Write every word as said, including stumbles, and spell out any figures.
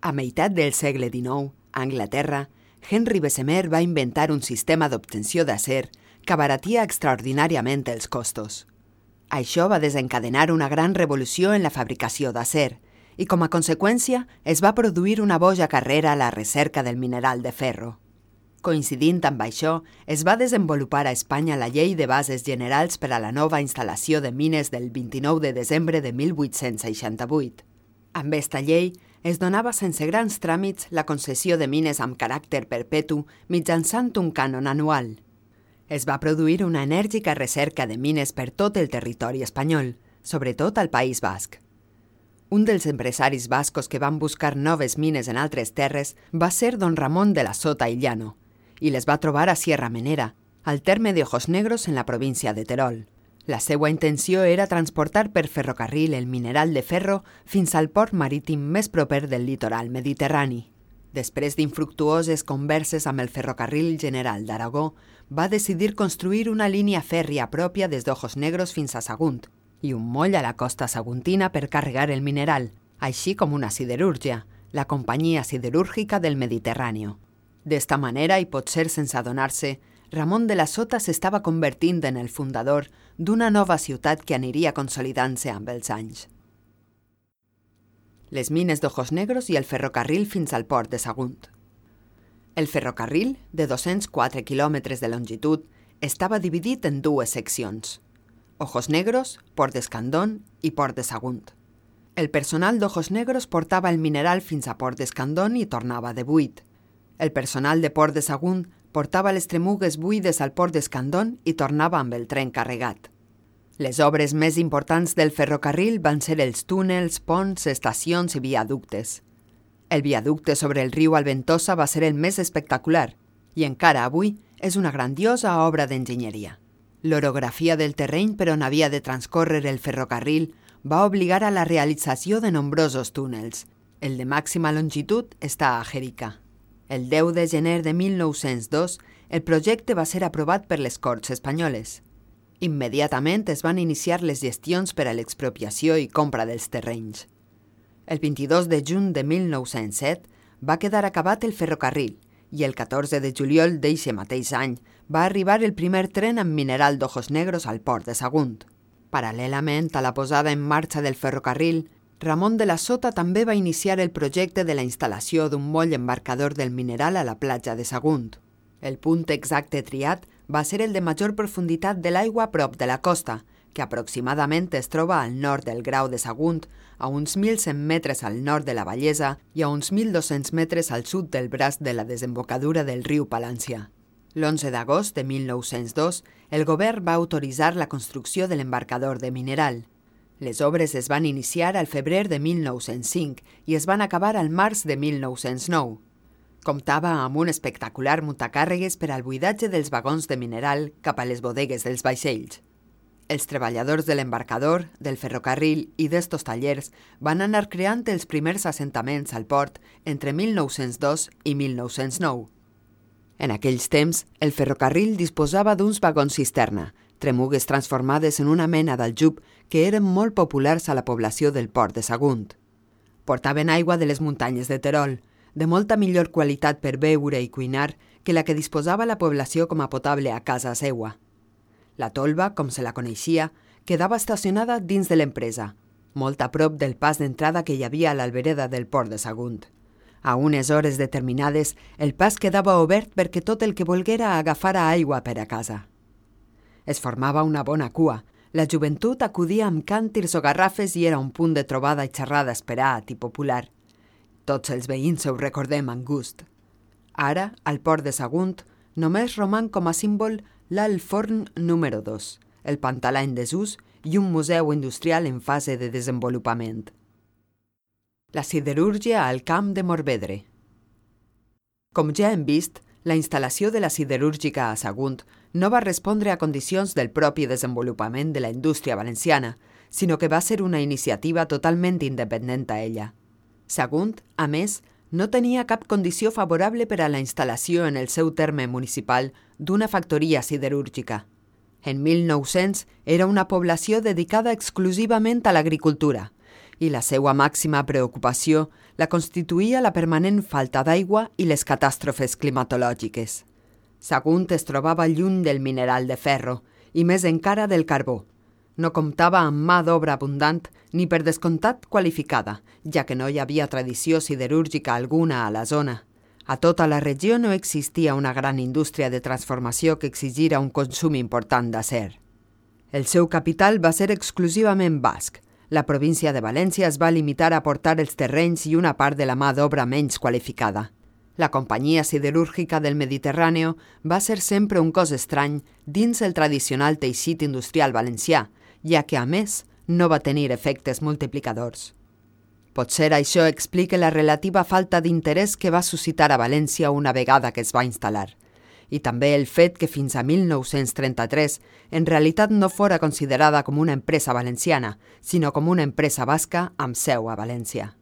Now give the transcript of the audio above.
A meitat del segle dinou, a Anglaterra, Henry Bessemer va inventar un sistema d'obtenció d'acer que abaratia extraordinàriament els costos. Això va desencadenar una gran revolució en la fabricació d'acer i, com a conseqüència, es va produir una boja carrera a la recerca del mineral de ferro. Coincidint amb això, es va desenvolupar a Espanya la Llei de Bases Generals per a la nova instal·lació de mines del vint-i-nou de desembre de mil vuit-cents seixanta-vuit. Amb esta llei, es donava sense grans tràmits la concessió de mines amb caràcter perpetu mitjançant un cànon anual. Es va produir una enèrgica recerca de mines per tot el territori espanyol, sobretot al País Basc. Un dels empresaris bascos que van buscar noves mines en altres terres va ser don Ramon de la Sota i Llano, i les va trobar a Sierra Menera, al terme de Ojos Negros en la província de Terol. La seva intenció era transportar per ferrocarril el mineral de ferro fins al port marítim més proper del litoral mediterrani. Després d'infructuoses converses amb el Ferrocarril General d'Aragó, va decidir construir una línia fèrria pròpia des d'Ojos Negros fins a Sagunt i un moll a la costa saguntina per carregar el mineral, així com una siderúrgia, la Companyia Siderúrgica del Mediterrani. D'esta manera, i potser sense adonar-se, Ramon de la Sota s'estava convertint en el fundador d'una nova ciutat que aniria consolidant-se amb els anys. Les mines d'Ojos Negros i el ferrocarril fins al port de Sagunt. El ferrocarril, de dos-cents quatre quilòmetres de longitud, estava dividit en dues seccions: Ojos Negros, Port d'Escandón i Port de Sagunt. El personal d'Ojos Negros portava el mineral fins a Port d'Escandón i tornava de buit. El personal de Port de Sagunt portava les tremugues buides al Port d'Escandón i tornava amb el tren carregat. Les obres més importants del ferrocarril van ser els túnels, ponts, estacions i viaductes. El viaducte sobre el riu Alventosa va ser el més espectacular i encara avui és una grandiosa obra d'enginyeria. L'orografia del terreny per on havia de transcórrer el ferrocarril va obligar a la realització de nombrosos túnels. El de màxima longitud està a Jerica. El deu de gener de mil nou-cents dos, el projecte va ser aprovat per les Corts espanyoles. Immediatament es van iniciar les gestions per a l'expropiació i compra dels terrenys. El vint-i-dos de juny de mil nou-cents set va quedar acabat el ferrocarril i el catorze de juliol d'eixe mateix any va arribar el primer tren amb mineral d'Ojos Negros al port de Sagunt. Paral·lelament a la posada en marxa del ferrocarril, Ramon de la Sota també va iniciar el projecte de la instal·lació d'un moll embarcador del mineral a la platja de Sagunt. El punt exacte triat va ser el de major profunditat de l'aigua a prop de la costa, que aproximadament es troba al nord del Grau de Sagunt, a uns mil cent metres al nord de la Vallesa i a uns mil dos-cents metres al sud del braç de la desembocadura del riu Palància. L'onze d'agost de mil nou-cents dos, el govern va autoritzar la construcció de l'embarcador de mineral. Les obres es van iniciar al febrer de mil nou-cents cinc i es van acabar al març de mil nou-cents nou. Comptava amb un espectacular muntacàrregues per al buidatge dels vagons de mineral cap a les bodegues dels vaixells. Els treballadors de l'embarcador, del ferrocarril i d'estos tallers van anar creant els primers assentaments al port entre mil nou-cents dos i mil nou-cents nou. En aquells temps, el ferrocarril disposava d'uns vagons cisterna, tremugues transformades en una mena d'aljub que eren molt populars a la població del port de Sagunt. Portaven aigua de les muntanyes de Terol, de molta millor qualitat per beure i cuinar que la que disposava la població com a potable a casa seua. La tolva, com se la coneixia, quedava estacionada dins de l'empresa, molt a prop del pas d'entrada que hi havia a l'albereda del port de Sagunt. A unes hores determinades, el pas quedava obert perquè tot el que volguera agafara aigua per a casa. Es formava una bona cua. La joventut acudia amb càntirs o garrafes i era un punt de trobada i xerrada esperat i popular. Tots els veïns ho recordem amb gust. Ara, al port de Sagunt, només roman com a símbol l'alt forn número dos, el pantalà en desús i un museu industrial en fase de desenvolupament. La siderúrgia al camp de Morvedre. Com ja hem vist, la instal·lació de la siderúrgica a Sagunt no va respondre a condicions del propi desenvolupament de la indústria valenciana, sinó que va ser una iniciativa totalment independent a ella. Sagunt, a més, no tenia cap condició favorable per a la instal·lació en el seu terme municipal d'una factoria siderúrgica. En mil nou-cents era una població dedicada exclusivament a l'agricultura i la seva màxima preocupació la constituïa la permanent falta d'aigua i les catàstrofes climatològiques. Sagunt es trobava lluny del mineral de ferro i més encara del carbó. No comptava amb mà d'obra abundant ni per descomptat qualificada, ja que no hi havia tradició siderúrgica alguna a la zona. A tota la regió no existia una gran indústria de transformació que exigira un consum important d'acer. El seu capital va ser exclusivament basc. La província de València es va limitar a aportar els terrenys i una part de la mà d'obra menys qualificada. La companyia siderúrgica del Mediterrani va ser sempre un cos estrany dins el tradicional teixit industrial valencià, ja que, a més, no va tenir efectes multiplicadors. Potser això explica la relativa falta d'interès que va suscitar a València una vegada que es va instal·lar, i també el fet que fins a mil nou-cents trenta-tres en realitat no fora considerada com una empresa valenciana, sinó com una empresa basca amb seu a València.